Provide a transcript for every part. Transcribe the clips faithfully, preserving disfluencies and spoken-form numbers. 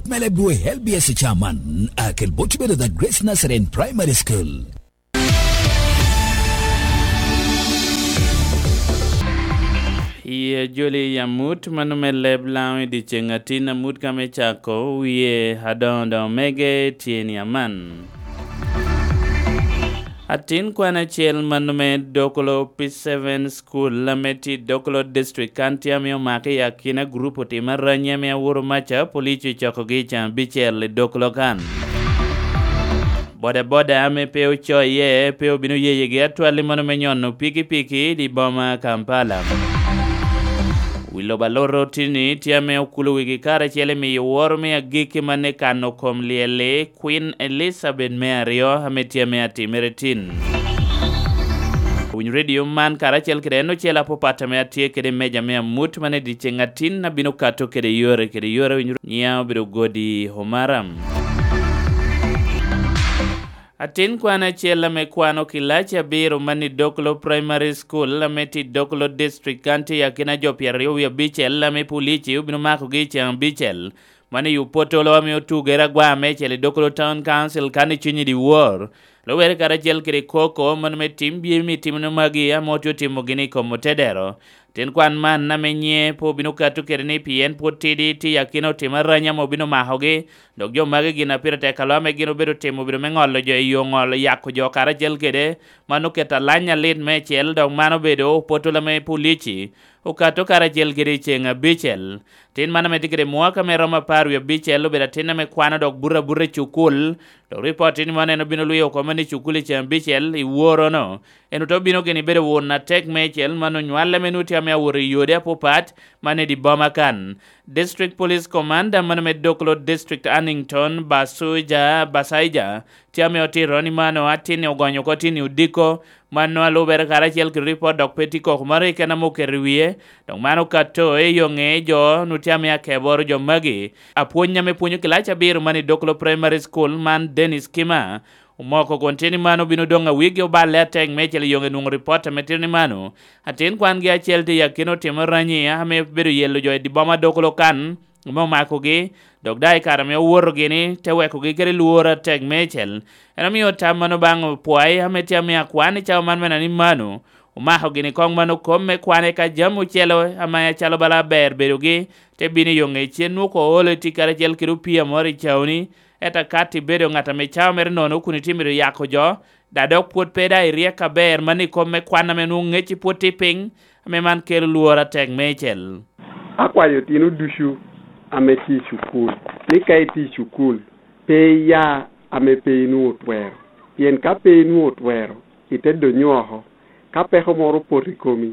Mele Blue L B S Chairman, akel bot bedo the Grace Nazarene Primary School. Ye joli i amut mano me leb Laŋo i dyeceŋ atin, amut ka me cako wie adoŋo doŋo mege tye ni aman. Atin kwan acel mano me Dokolo P seven School ame tye i Dokolo District kan tye ame omako i akina gurup otim aranyi ame aworo maca, police ocokogi i can abicel i Dokolo kan. Bodaboda ame pe ocoye pe obino yeyegi atwal i mano me nyono pikipiki i boma Kampala. Wi lobo aloro tini tye ame okulo wigi karacel i miyo woro me agikki man i kano kom lyel-li Queen Elizabeth me aryo ame tye ame atimere tin. Winyo redio man karacel kede en ocel apapat ame atye kede i meja me amut man i dyeceŋ atin abino kato kede yore kede yore, winyo nyiŋa obedo Godi Omaram. Atin kwan acel ame kwano kilaci abiro man i Dokolo Primary School ame tye i Dokolo District kan tye i akina jo pyeraryo wie abicel ame polici obino makogi i ceŋ abicel. Man i Opotolo ame otugere agwa mecel i Dokolo Town Council kan i cunyi dyewor. Lubere karacel kede koko man me tim byemi timono magi ame otye otimo gini i kom otedero. Tin kwan man ame nyiŋe pe obino kato kede ni pien pwod tidi tye i akina otimo aranya ame obino makogi, dok jo magi gin a pire tek alo ame gin obedo timo obedo me ŋolo jo i yo ŋolo yako jo karacel kede, man oketo alanya lit meicel, dok man obedo Opotolo ame polici okato karacel kede i ceŋ abicel. Tin man ame tye kede mwaka me romo apar wie abicel obedo atin ame kwano dok buto abuta i cukul, dok ripot ni man en obino lwiyo oko man i cukul i ceŋ abicel i worono. En ote obino gini bedo wun atek meicel man onywal ame nwoŋo tye ame awot i yode apapat man i di boma kan. District Police Commander man ame Dokolo District Annington Basuja Basaija tye ame otito ni mano atin ni ogonyo oko tin i odiko, mano alubere karacel kede ripot dok pe tye koko moro keken ame oketo i wie, dok man okato i yo ŋe jo nu tye ame akeboro jo magi. Apwony ame pwonyo kilac abiro man i Dokolo Primary School man Dennis Kima omoko kun tye ni mano obino doŋ awigi oballe atek meicel i yo ŋe nwoŋo ripot ame tito ni mano atin kwangi acel tye i akino timo ranyi ame bedo yelo jo i di boma Dokolo kan ame omakogi, dok daŋ i kare ame owoto gini te wekogi kede lworo atek meicel. En omio tam mano baŋ opwai ame tye ame akwan i cawa man me nani mano omako gini koŋ mano kom me kwane ka jami ocele ame acalo bala aber bedogi te bino i yo ŋe cen nwoŋo oolo iti karacel kede opii amoro i caoni, ento ka tibedo ŋat ame cawa mere nono kun itye myero yako jo, da dok pwod pe daŋ iryek aber man i kom me kwan ame nwoŋo ŋecci pwod tye piny, ame man kelo lworo atek meicel. Akwayo otino ducu ame tye i cukul ni ka itye i cukul, pe iya ame pe inwoŋo twero, pien ka pe inwoŋo twero, ite donyo oko. Ka peko moro opoto i komi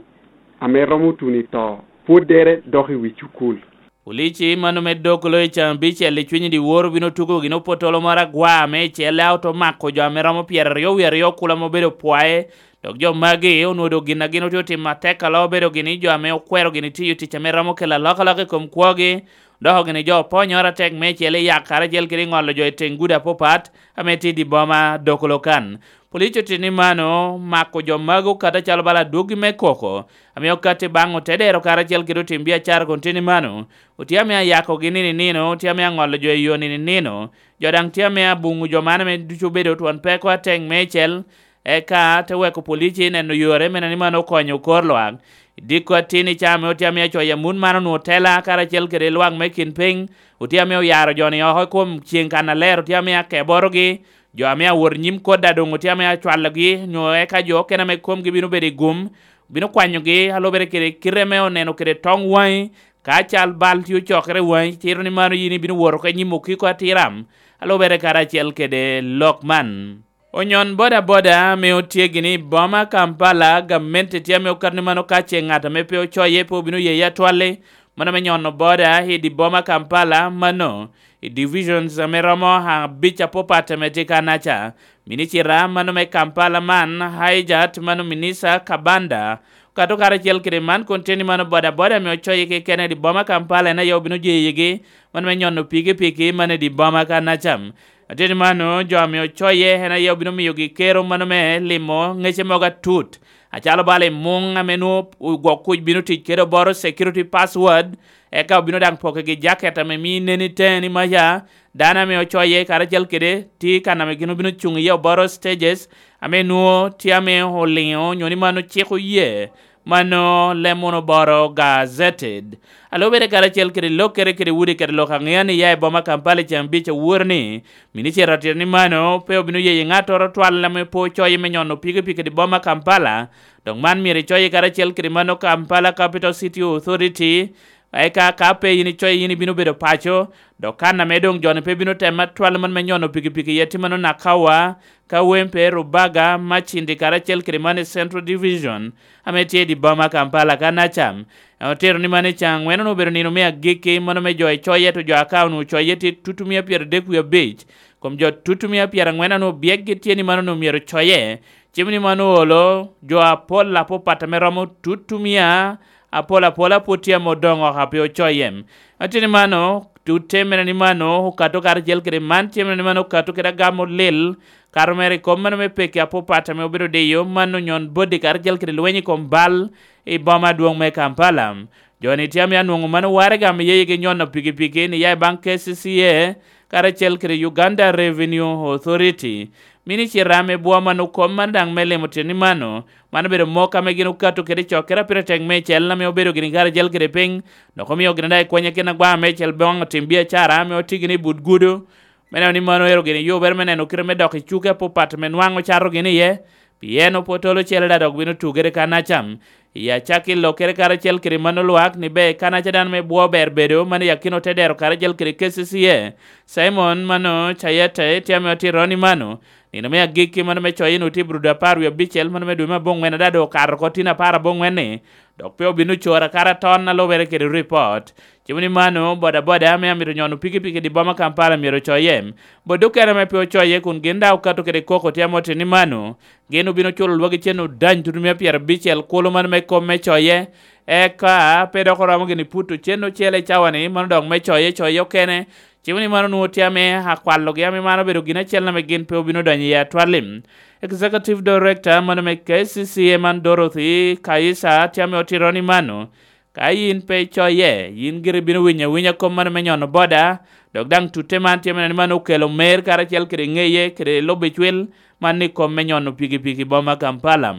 ame romo tuno i to, pwoddere dok i wi cukul. Polici mano me Dokolo i can abicel i cwiny dyewor obino tugo gin opotolo moro agwa meicel, a ote mako jo ame romo pyeraryo wie aryo kula ame obedo pwaye, dok jo magi onwodo gin a gin otye otimo atek alo obedo gini jo ame okwero gini tiyo tic ame romo kelo alokaloka i kom kwogi, dok gini jo oponyoro atek meicel i yak karacel kede i ŋolo jo i teng gudo apapat ame tye i di boma Dokolo kan. Police otito ni mano mako jo magi okato acalo bala adwogi me koko, ame okato i baŋ otedero karacel kede otim biacara kun tye ni mano otye ame ayakogi nino i nino, otye ame aŋolo jo i yo nino i nino. Jo daŋ tye ame abuŋo jo man ame ducu obedo twon peko ateŋ meicel, eka te weko polici neno yore me neno ni mano okonyo kor lwak. I diko atin i caa ame otye ame acoya mut man onwoŋo tela karacel kede lwak me kin piny, otye ame oyaro jo-ni oko i kom ceŋ kan aler, otye ame akeborogi. Jo ame awot i nyim koda doŋ otye ame acwalogi, nyo eka jo okene ame komgi bino bedo i gum, bino kwanyogi, a lubere kede kite ame oneno kede toŋ waŋi. Ka cal bal tye ocokere i waŋi, cito ni mano yin ibino wot oko i nyim okiko atiram, a lubere karacel kede lok man. Onyon bodaboda ame otye gini i boma Kampala, gamente tye ame okato ni mano ka ce ŋat ame pe ocoye pe obino yeye atwal-li, mano me nyono boda i di boma Kampala, mano i divisions ame romo abic apapat ame tye kanaca. Minicita mano me Kampala man, Haijat mano Minisa Kabanda, okato karacel kede man kun tye ni mano bodaboda ame ocoye keken i di boma Kampala en aye obino jeyegi, mano me nyono pikipiki mano i di boma kanaca. Atin mano, jo ame ocoye en aye obino miyogi kero mano me limo ŋece mogo atut, acalo bala i muŋ ame nwoŋo gwok kuc bino tic kede oboro security password, eka obino daŋ pokegi jaket ame mio inen i teŋe ni maca dano ame ocoye karacel kede tye i kan ame gin obino cuŋ iye oboro stages ame nwoŋo tye ame oliŋo nyo ni mano cik oye. Mano leb muno boro gazetted. Alubere karacel kede lokkere kede udi kede lok aŋea ni ya i boma Kampala i ceng abic awor ni, minicita otito ni mano pe obino yeyo ŋattoro twal ame pe ocoye me nyono pikipiki kede boma Kampala, dok man myero icoye karacel kede mano Kampala Capital City Authority. Eka ka pe yin icoye, yin ibino bedo paco, dok kan ame doŋ joni pe bino temme atwal man me nyono pikipiki iye tye mano Nakawa, Kawempe, Rubaga, Macindi karacel kede man i Central Division ame tye i di boma Kampala. Kan acam en otito ni man i caŋ ŋwen onwoŋo obedo nino me agikki, mano me jo icoye, to jo aka onwoŋo coye tye tutumia pyeradek wie abic. Kom jo tutumia pyeraŋwen a onwoŋo byeggi tye ni man onwoŋo myero coye, cimo ni man oolo jo apol apapat ame romo tutumia apol apola pwod tye ame odoŋo oko a pe ocoye. Atye ni mano, tut temere ni mano okato karacel kede man, temere ni mano okato kede agamo lil, kato mere i kom mano me peki apapat ame obedo diyo, man onyon bodi karacel kede lweny i kom bal i boma adwoŋ me Kampala. Jo-ni tye ame anwoŋo mano waraga ame yeyegi nyono pikipiki ni ya i baŋ K C C A karacel kede Uganda Revenue Authority. Minicita ame bwo mano kom man daŋ me limo tyen ni mano, man obedo mok ame gin okato kede cokkere a pire tek meicel ame obedo gini karacel kede piny, dok omio gini daŋ ikwonye kin agwa meicel boŋ otim biacara ame otye gini i but gudo. Me neno ni mano ero gini yubere me neno kite me dok i cuke apapat ame nwaŋ ocato gini iye, pien opwotolo ocele daŋ dok bino tugere kan acam. I acakki lokkere karacel kede mano lwak ni ber kan aca dano me bwo ber bedo, mano i akino te dero karacel kede K C C A. Simon mano Cayete tye ame otito ni mano, nino me agikki mano me coye-nu tye i Burudu apar wie abicel mano me dwe me aboŋwen ada doŋ okato oko tin apar aboŋwen-ni, dok pe obino cora kara ton a lubere kede ripot. Cimo ni mano, bodaboda ame amito nyono pikipiki i di boma Kampala myero ocoye. Bot okene ame pe ocoye kun gin daŋ okato kede koko tye ame otito ni mano, gin obino culo lwagi cen odany tutumia pyerabicel kulu mano me kom me coye. Eka pe dok oromo gini puto cen ocele i cawa-ni, mano dok me coye, coye okene. Cimo ni mano onwoŋo tye ame akwalogi, ame mano obedo gin acel ame gin pe obino donyo iye atwal-li. Executive Director mano me K C C A man Dorothy Kaisa tye ame otito ni mano, ka yin pe icoye, yin giri ibino winyo awinya kop mano me nyono boda, dok daŋ tutte man tye me neno ni mano okelo mer karacel kede ŋeye kede lubbe cwil man i kom me nyono pikipiki i boma Kampala.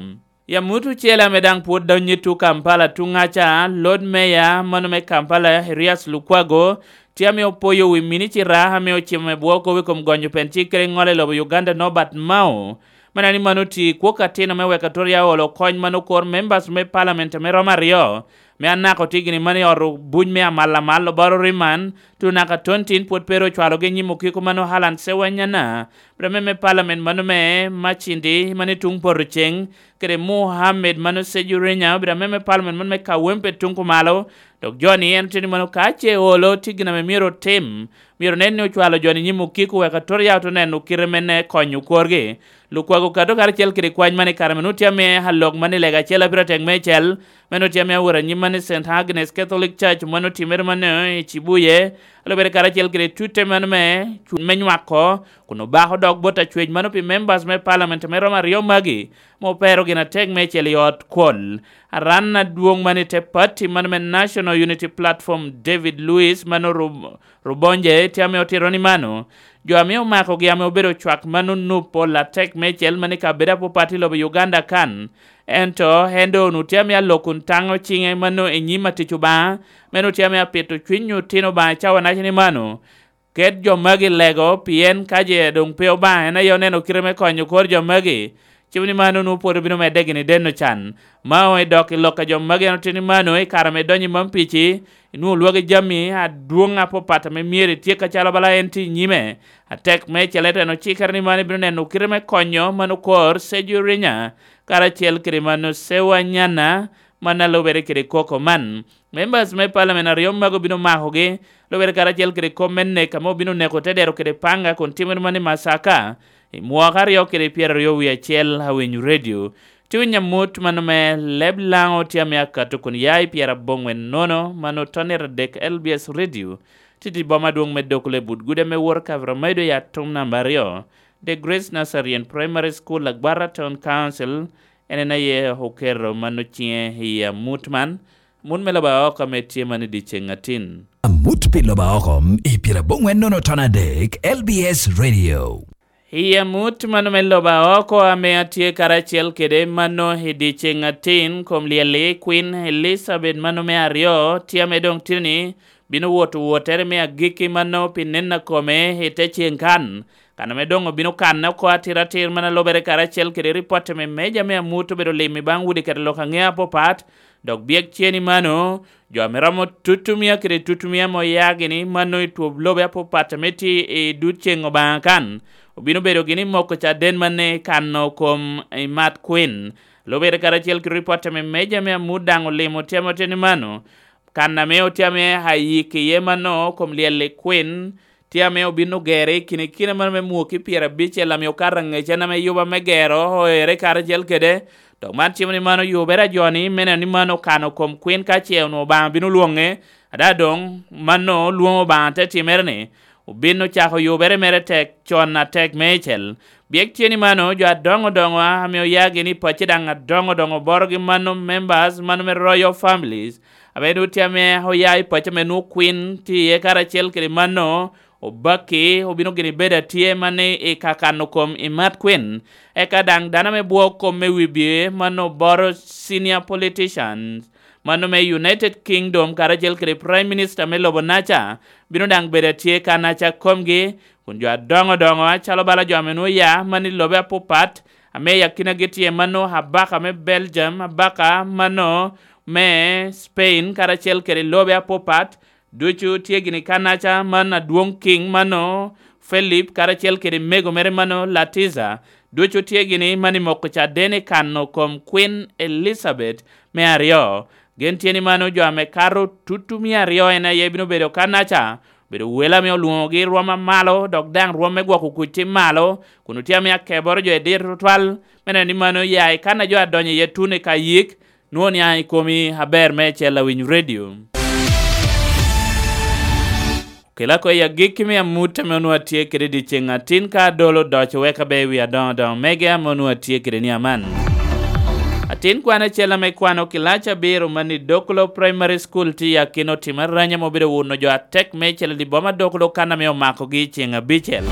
I amut ocele ame daŋ pwod donyo i tuŋ Kampala tuŋaca, Lord Mayor mano me Kampala, Erias Lukwago, tye ame opoyo wi minicita ame ocimo me bwo kop i kom gonyo pen cik kede ŋolo i lobo Uganda, Norbert Mao, me neno ni mano oti kwok atino me wek Atoria olo kony mano kor members me parliament ame romo aryo, me anaka otye gini mano i ot buc me amal amal obaro Riman, to naka Tontin pwod pe ru ocwalogi i nyim okiko mano Alan Sewanyana, bira me me parliament mano me Macindi mano i tuŋ poto ceng, kede Muhammad mano Sejurinya, bira me me parliament mano me Kawempe tuŋ kumalo. Dok jo-ni en otye ni mano ka ce olo tye gin ame myero otim, myero nen ni ocwalo jo-ni nyim okiko wek Atoria oto neno kite me ne konyo korgi. Lukwago okato karacel kede kwany man i kare meno tye ame alok man i lega acel abiro atek me cel, meno tye ame awot anyim man i Saint Agnes Catholic Church man otimere man i Cibuye, alubere karacel kede tutte man me, me nywako, kun obako dok bot acwec mano pi members me parliament me romo aryo magi, ma opero gin atek me cel i ot kwol. Aran adwoŋ man i te pati man me National Unity Platform, David Lewis, mano Rub-, Rubonje, tye ame otito ni mano, jo ame omakogi ame obedo cwak man onup pol atek me cel man i kabedo apapat i lobo Uganda kan. Ento en doŋ onwoŋo tye ame alok kun taŋo ciŋe mano i nyim atic Obaŋa, meno tye ame apito cwiny otino Obaŋa i cawa naca ni mano, ket jo magi lego, pien ka je doŋ pe Obaŋa en aye oneno kite me konyo kor jo magi, cimo ni mano onwoŋo pwod obino medde gini deno can. Ma oŋ i dok i lok a jo magi en otito ni mano i kare ame idonyo i Mampici, inwoŋo lwagi jami adwoŋ apapat ame myero ityek acalo bala en tye i nyime. Atek me celet en ocikere ni mano ibino neno kite me konyo mano kor Sergio Rinya, karacel kede mano Sewa Nyana, man alubere kede koko man. Members me parliament aryo mago bino makogi, lubere karacel kede kop me nek ame obino neko te dero kede panga kun timere man i Masaka, i mwaka aryo kede pyeraryo wie acel. Awinyo redio. Tye winyo amut mano me leb Laŋo tye ame akato kun ya i pyeraboŋwen nono, mano tonere adek L B S Radio, tye i boma adwoŋ me Dokole but gude me woro Kaberamaido i atum namba aryo, The Grace Nazarene Primary School, Lagwara Town Council, En en aye oketo mano ciŋe i amut man, amut me lobo aoko ame tye man i dyeceŋ atin. Amut pi lobo aoko i pyerabongwen nono ton adek, L B S Radio. I amut mano me lobo aoko ame atye karacel kede mano i dyeceŋ atin, kom lyel-li, Queen Elizabeth mano me aryo, tye ame doŋ tye ni bino woto wottere me agikki mano pi nen a kome i te ceŋ kan. Kan ame doŋ obino kanne oko atir atir man a lubere karacel kede ripot me meja me amut obedo lim i baŋ udi kede lok aŋea apapat, dok byek ceni mano, jo ame romo tutumia kede tutumia ame oya gini mano i twop lobe apapat ame tye i dut ceŋ Obaŋa kan, obino bedo gini moko caden manne kano kom i mat kwin. Lubere karacel kede ripot me meja me amut daŋ olimo tye ame ote ni mano, kan ame otye ame ayik iye mano kom lyel i kwin, tye ame obin ogere i kine kine mano me mwaki pyerabicel ame okato angecen ame yuba me gero oere karacel kede. Dok man cimo ni man oyubere a jo-ni, me neno ni man okano kom kwin ka ce onwoŋo Obaŋa bino lwoŋe. Ada doŋ, mano lwoŋo Obaŋa te timere ni, obin ocako yubere mere tek con atek meicel. Byek tye ni mano, jo adoŋo doŋo ame oya gini i pacci daŋ adoŋo doŋo borogi mano members, mano me royal families, ame doŋ tye ame oya i pacci ame nwoŋo kwin tye iye karacel kede mano, Obakki obino gini bedo atye man i, i ka kano kom i mat kwin. Eka daŋ dano ame bwoo kom me wibye, mano boro senior politicians, mano me United Kingdom karacel kede Prime Minister me lobo naca, bino daŋ bedo atye kanaca komgi, kun jo adoŋo doŋo acalo bala jo ame nwoŋo ya man i lobe apapat, ame i akinagi tye mano abaka me Belgium, abaka mano me Spain karacel kede lobe apapat, ducu tye gini kanaca man adwoŋ kiŋ mano Felip karacel kede mego mere mano Latiza, ducu tye gini man i moko caden i kano kom kwin Elicabet me aryo. Gin tye ni mano jo ame kato tutu mia aryo en aye bino bedo kanaca, obedo wele ame olwoŋogi rwom amalo, dok daŋ rwom me gwoko kuc tye malo, kun otye ame akeboro jo i diro tutwal, me neno ni mano ya i kan a jo adonyo iye tuno i kayik, nwoŋo niaŋ i komi aber meicel awiny redio. Okela ko i agikki me amut ame onwoŋo atye kede i dyeceŋ atin ka adolo odoco wek abe i wi adoŋo doŋo mege ame onwoŋo atye kede ni aman. Atin kwan acel ame kwano kilac abiro man i Dokolo Primary School tye i akino timo aranya ame obedo wuno jo atek meicel i boma Dokolo kan ame omakogi i ceŋ abicel.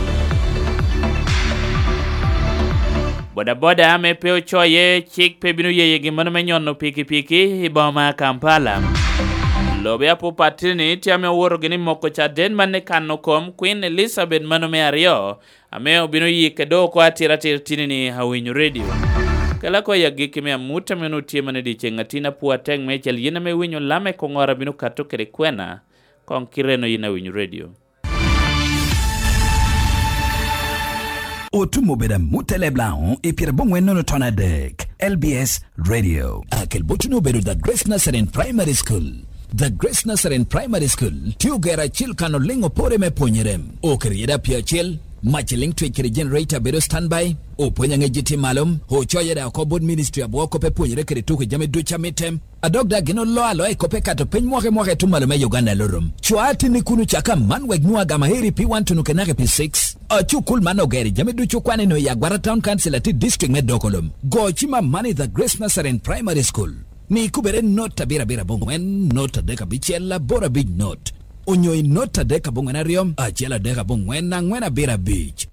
Bodaboda ame pe ocoye, cik pe bino yeye gin mano me nyono pikipiki i boma Kampala. Lobe apup atini tye ame owoto gini moko caden man i kano kom Queen Elizabeth mano me aryo, ame obino yikke do oko atira atir tini ni awinyo redio. Kela ko i agikki me amut ame onwoŋo tye man i dyeceŋ atin apwo ateng me cel yin ame winyo lam i koŋora bino kato kede kwena, koŋ kireno yin awinyo redio. Otum obedo amut eleb laŋo i pyerabongwen nono ton adek, L B S Radio. Akel botuni obedo The Grace Nazarene Primary School. The Grace Nazarene Primary School tye ogero acil kan oliŋ opore me pwonyere. Oketo yeda pye acel, mac eliŋ twec kede generator bedo standby, opwony aŋec tye malo, ocoyo yeda oko bot ministry abwoko pe pwonyere kede tuko jami ducu amitte. A dok daŋ gin oloo aloa i kop ekato piny mwaka i mwaka i tuŋ malo me Uganda a Lorom. Cwa atinni kun ocak aman wek nwoŋo agama heri P one tunu kenaka P six. A cukul man ogero i jami ducu okwane no i Agwara Town Council atit district me Dokolom. Go cim aman i The Grace Nazarene Primary School. Mi kubere not abiro abiro abongwen, not adek abicel, aboro abic not. Onyo i not adek abongwen aryo, acel adek abongwen, angwen abiro abic.